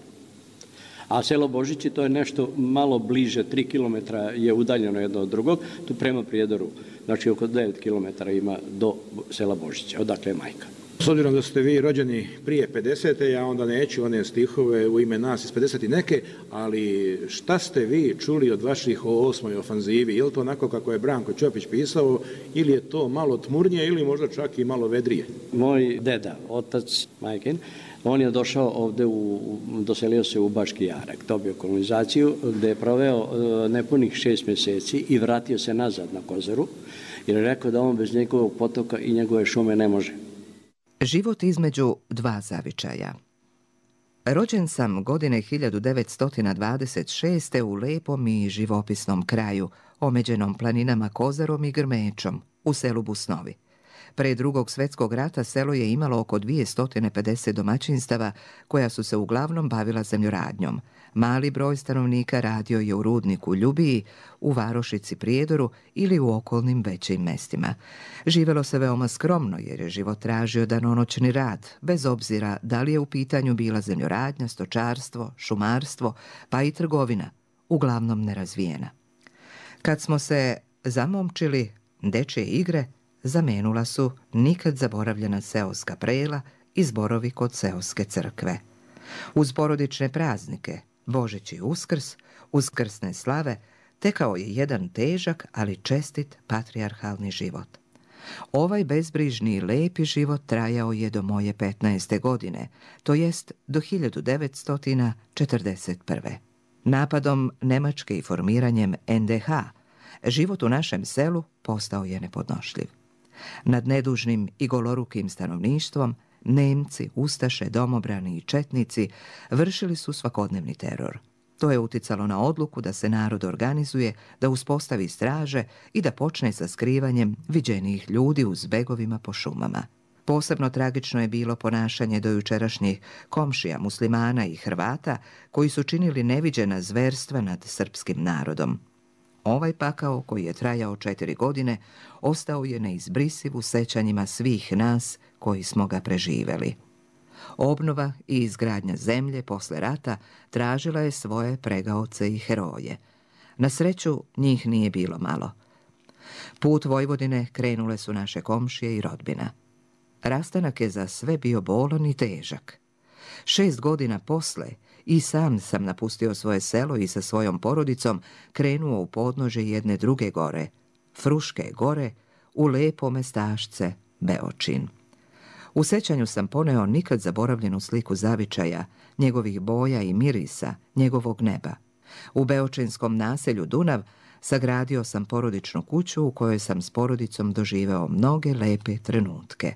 A selo Božići, to je nešto malo bliže, tri kilometra je udaljeno jedno od drugog, tu prema Prijedoru, znači oko devet kilometara ima do sela Božića, odakle je majka. S obzirom da ste vi rođeni prije pedesete, ja onda neću one stihove u ime nas iz pedeset i neke, ali šta ste vi čuli od vaših o osmoj ofanzivi? Je li to onako kako je Branko Ćopić pisao, ili je to malo tmurnije, ili možda čak i malo vedrije? Moj deda, otac majkin, on je došao ovde, u, doselio se u Baški Jarak, dobio kolonizaciju, gde je proveo nepunih šest mjeseci i vratio se nazad na Kozaru, jer je rekao da on bez njegovog potoka i njegove šume ne može. Život između dva zavičaja. Rođen sam godine hiljadu devetsto dvadeset šeste u lepom i živopisnom kraju, omeđenom planinama Kozarom i Grmečom, u selu Busnovi. Pre drugog svjetskog rata selo je imalo oko dvjesto pedeset domaćinstava koja su se uglavnom bavila zemljoradnjom. Mali broj stanovnika radio je u rudniku Ljubiji, u varošici Prijedoru ili u okolnim većim mestima. Živelo se veoma skromno jer je život tražio danonoćni rad, bez obzira da li je u pitanju bila zemljoradnja, stočarstvo, šumarstvo, pa i trgovina, uglavnom nerazvijena. Kad smo se zamomčili, dečje igre zamenula su nikad zaboravljena seoska prela i zborovi kod seoske crkve. Uz porodične praznike, Božić i Uskrs, uskrsne slave, tekao je jedan težak, ali čestit patrijarhalni život. Ovaj bezbrižni i lepi život trajao je do moje petnaeste godine, to jest do hiljadu devetsto četrdeset prve. Napadom Nemačke i formiranjem en de ha, život u našem selu postao je nepodnošljiv. Nad nedužnim i golorukim stanovništvom Nemci, ustaše, domobrani i četnici vršili su svakodnevni teror. To je uticalo na odluku da se narod organizuje, da uspostavi straže i da počne sa skrivanjem viđenijih ljudi u zbegovima po šumama. Posebno tragično je bilo ponašanje dojučerašnjih komšija muslimana i Hrvata koji su činili neviđena zverstva nad srpskim narodom. Ovaj pakao, koji je trajao četiri godine, ostao je neizbrisiv u sećanjima svih nas koji smo ga preživeli. Obnova i izgradnja zemlje posle rata tražila je svoje pregaoce i heroje. Na sreću, njih nije bilo malo. Put Vojvodine krenule su naše komšije i rodbina. Rastanak je za sve bio bolan i težak. Šest godina posle i sam sam napustio svoje selo i sa svojom porodicom krenuo u podnože jedne druge gore, Fruške gore, u lepo mestašce Beočin. U sećanju sam poneo nikad zaboravljenu sliku zavičaja, njegovih boja i mirisa, njegovog neba. U beočinskom naselju Dunav sagradio sam porodičnu kuću u kojoj sam s porodicom doživeo mnoge lepe trenutke.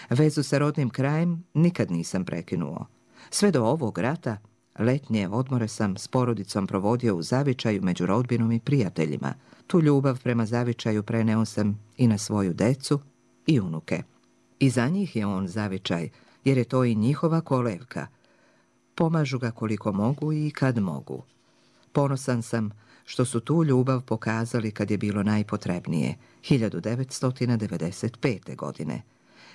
Vezu sa rodnim krajem nikad nisam prekinuo. Sve do ovog rata, letnje odmore sam s porodicom provodio u zavičaju među rodbinom i prijateljima. Tu ljubav prema zavičaju preneo sam i na svoju decu i unuke. I za njih je on zavičaj, jer je to i njihova kolevka. Pomažu ga koliko mogu i kad mogu. Ponosan sam što su tu ljubav pokazali kad je bilo najpotrebnije, hiljadu devetsto devedeset pete. godine.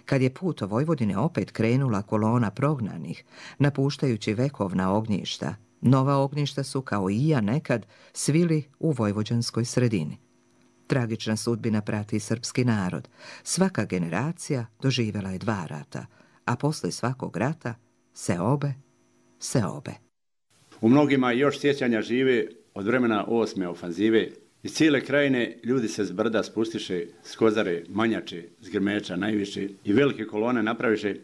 Kad je put o Vojvodine opet krenula kolona prognanih, napuštajući vekovna ognjišta, nova ognjišta su, kao i ja nekad, svili u vojvođanskoj sredini. Tragična sudbina prati srpski narod. Svaka generacija doživjela je dva rata, a posle svakog rata se obe, se obe. U mnogima još sjećanja žive od vremena osme ofanzive. Iz cijele krajine ljudi se s brda spustiše, s Kozare, Manjače, s Grmeča najviše i velike kolone napraviše.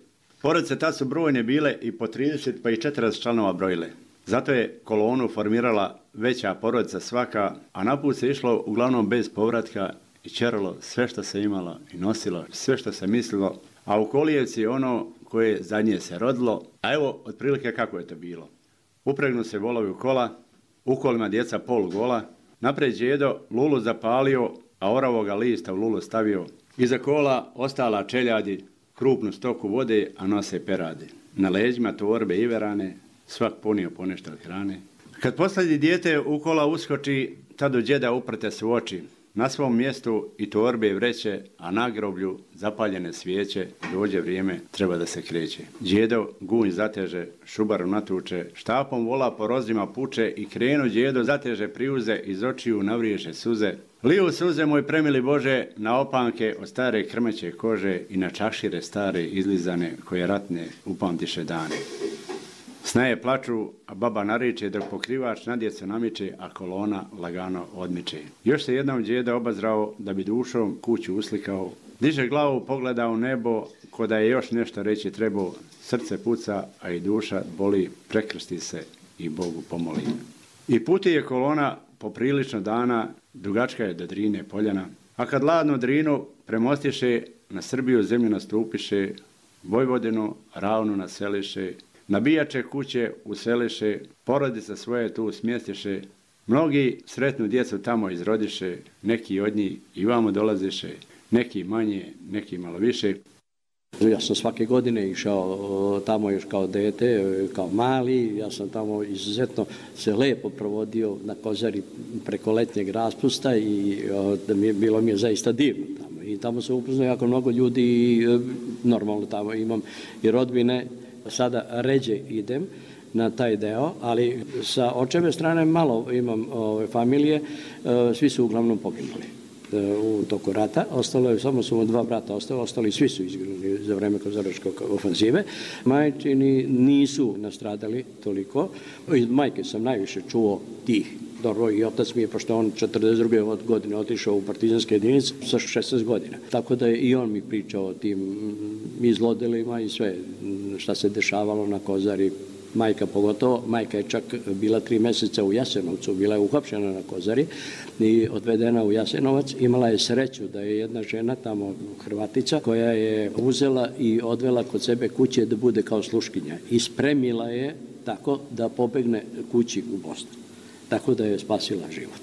Porodice tad su brojne bile i po trideset pa i četrdeset članova brojile. Zato je kolonu formirala veća porodica svaka, a naput se išlo uglavnom bez povratka i čeralo sve što se imalo i nosilo, sve što se mislilo. A u Kolijevci ono koje zadnje se rodilo, a evo otprilike kako je to bilo. Upregnu se volovi u kola, u kolima djeca pol gola, napred djedo lulu zapalio, a oravoga lista u lulu stavio. Iza kola ostala čeljadi, krupnu stoku vode, a nose perade. Na leđima torbe iverane, svak ponio ponešto od hrane. Kad posljednji dijete u kola uskoči, tad u djeda uprte su oči. Na svom mjestu i torbe i vreće, a na groblju zapaljene svijeće, dođe vrijeme, treba da se kreće. Djedo gunj zateže, šubaru natuče, štapom vola po rozdima puče i krenu djedo zateže priuze, iz očiju navriješe suze. Liju suze, moj premili Bože, na opanke od stare krmeće kože i na čašire stare izlizane koje ratne upamtiše dane. Snaje plaču, a baba nariče dok pokrivač na djecu namiče, a kolona lagano odmiče. Još se jednom djeda obazrao da bi dušom kuću uslikao. Diže glavu, pogleda u nebo, ko da je još nešto reći trebao. Srce puca, a i duša boli, prekrsti se i Bogu pomoli. I puti je kolona poprilično dana, dugačka je do Drine poljana. A kad ladnu Drinu premostiše, na Srbiju zemlju nastupiše, Vojvodinu ravnu naseliše, nabijače kuće useliše, porodice svoje tu smjestiše, mnogi sretnu djecu tamo izrodiše, neki od njih i vamo dolaziše, neki manje, neki malo više. Ja sam svake godine išao tamo još kao dete, kao mali, ja sam tamo izuzetno se lepo provodio na Kozari preko letnjeg raspusta i da mi je, bilo mi je zaista divno tamo. I tamo se upoznao jako mnogo ljudi i normalno tamo imam i rodbine. Sada ređe idem na taj deo, ali sa očeve strane malo imam ove familije, svi su uglavnom poginuli u toku rata. Ostalo je, samo su dva brata ostali, ostali svi su izginuli za vreme kozaračke ofanzive. Majčini nisu nastradali toliko. Iz majke sam najviše čuo tih. Dobro, i otac mi je, pošto on četrdeset druge godine otišao u partizanske jedinice sa šesnaest godina. Tako da je i on mi pričao o tim izlodelima i sve šta se dešavalo na Kozari. Majka pogotovo, majka je čak bila tri mjeseca u Jasenovcu, bila je uhapšena na Kozari i odvedena u Jasenovac. Imala je sreću da je jedna žena tamo, Hrvatica, koja je uzela i odvela kod sebe kuće da bude kao sluškinja i spremila je tako da pobegne kući u Bosnu. Tako da je spasila život.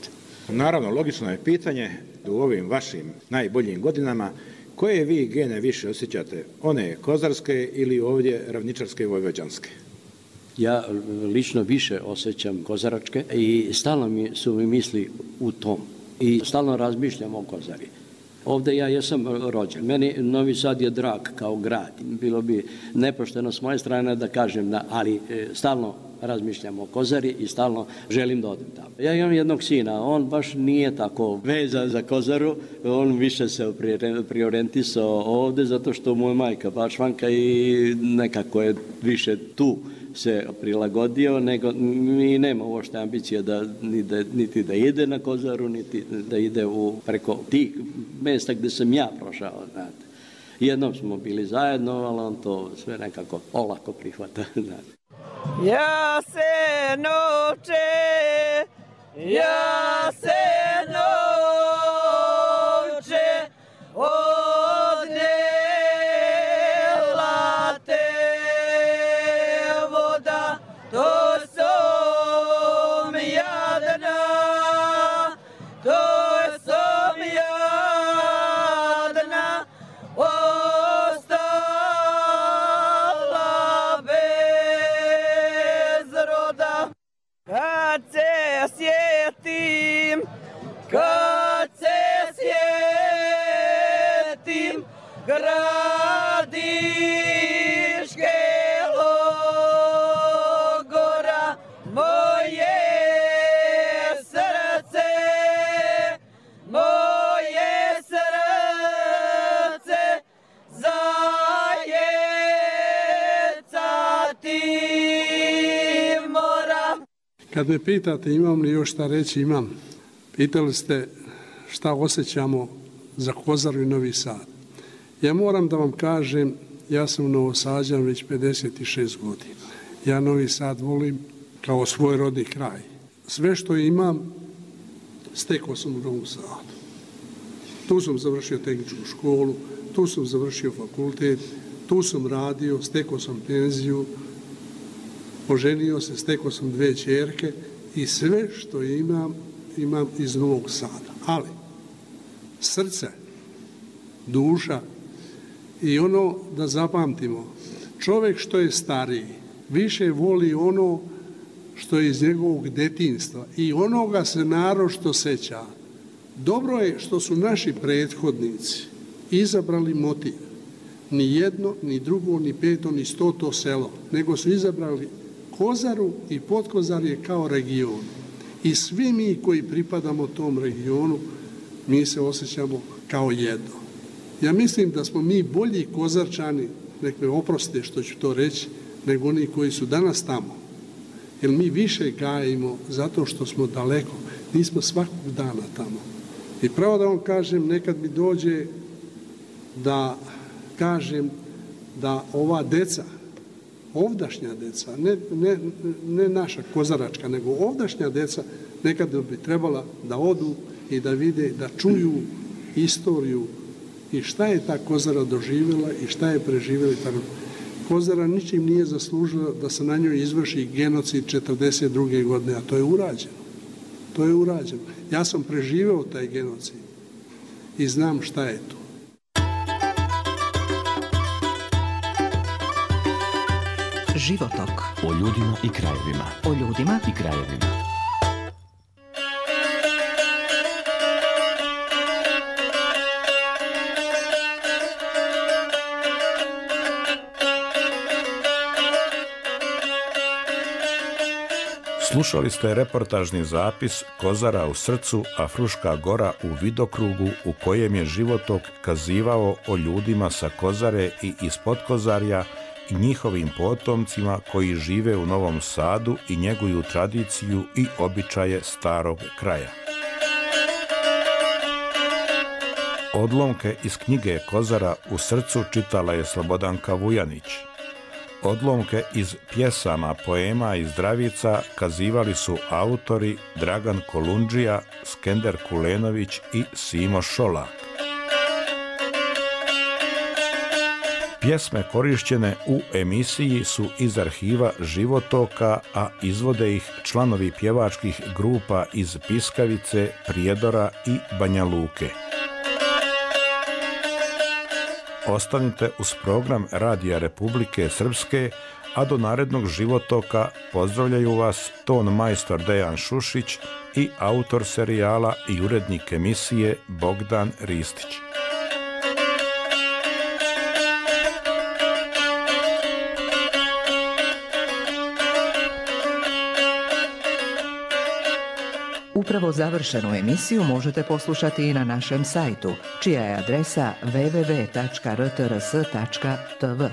Naravno, logično je pitanje u ovim vašim najboljim godinama koje vi gene više osjećate, one kozarske ili ovdje ravničarske i vojvođanske? Ja lično više osjećam kozaračke i stalno mi su mi misli u tom i stalno razmišljam o Kozari. Ovdje ja jesam rođen. Meni Novi Sad je drag kao grad. Bilo bi nepošteno s moje strane da kažem, da, ali stalno razmišljam o Kozari i stalno želim da odem tamo. Ja imam jednog sina, on baš nije tako vezan za Kozaru, on više se priorientisao ovde zato što mu je majka Bačvanka i nekako je više tu se prilagodio, nego mi nema uopšte ambicije da, niti da ide na Kozaru, niti da ide u preko tih mesta gde sam ja prošao, znate. Jednom smo bili zajedno, ali on to sve nekako olako prihvata, znate. Ja se noće, ja se noće, odnela te voda, to sam jadna, to sam jadna, ostala bez roda. Kad se sjetim, kad se sjetim gradiške logora, moje srce, moje srce zajecati mora. Kad me pitate imam li još šta reći, imam. Pitali ste šta osjećamo za Kozaru i Novi Sad. Ja moram da vam kažem, ja sam Novosađan već pedeset šest godina. Ja Novi Sad volim kao svoj rodni kraj. Sve što imam, stekao sam u Novom Sadu. Tu sam završio tehničku školu, tu sam završio fakultet, tu sam radio, stekao sam penziju, oženio se, stekao sam dve ćerke i sve što imam, imam iz Novog Sada. Ali srce, duša i ono da zapamtimo, čovjek što je stariji više voli ono što je iz njegovog detinjstva i onoga se naročito seća. Dobro je što su naši prethodnici izabrali motiv. Ni jedno, ni drugo, ni peto, ni stoto selo, nego su izabrali Kozaru i Potkozarje kao region. I svi mi koji pripadamo tom regionu, mi se osjećamo kao jedno. Ja mislim da smo mi bolji Kozarčani, nek me oprostite što ću to reći, nego oni koji su danas tamo. Jer mi više gajimo zato što smo daleko, nismo svakog dana tamo. I pravo da vam kažem, nekad mi dođe da kažem da ova deca, ovdašnja deca, ne, ne, ne naša kozaračka, nego ovdašnja deca nekada bi trebala da odu i da vide, da čuju istoriju i šta je ta Kozara doživjela i šta je preživjela. Kozara ničim nije zaslužila da se na njoj izvrši genocid četrdeset druge godine, a to je urađeno. To je urađeno. Ja sam preživeo taj genocid i znam šta je to. Životok. O ljudima i krajevima. O ljudima i krajevima. Slušali ste reportažni zapis Kozara u srcu, a Fruška Gora u vidokrugu, u kojem je Životok kazivao o ljudima sa Kozare i iz Potkozarja i njihovim potomcima koji žive u Novom Sadu i njeguju tradiciju i običaje starog kraja. Odlomke iz knjige Kozara u srcu čitala je Slobodanka Vujanić. Odlomke iz pjesama, poema i zdravica kazivali su autori Dragan Kolundžija, Skender Kulenović i Simo Šolak. Pjesme korišćene u emisiji su iz arhiva Životoka, a izvode ih članovi pjevačkih grupa iz Piskavice, Prijedora i Banja Luke. Ostanite uz program Radija Republike Srpske, a do narednog Životoka pozdravljaju vas ton majstor Dejan Šušić i autor serijala i urednik emisije Bogdan Ristić. Upravo završenu emisiju možete poslušati i na našem sajtu, čija je adresa w w w tačka r t r s tačka t v.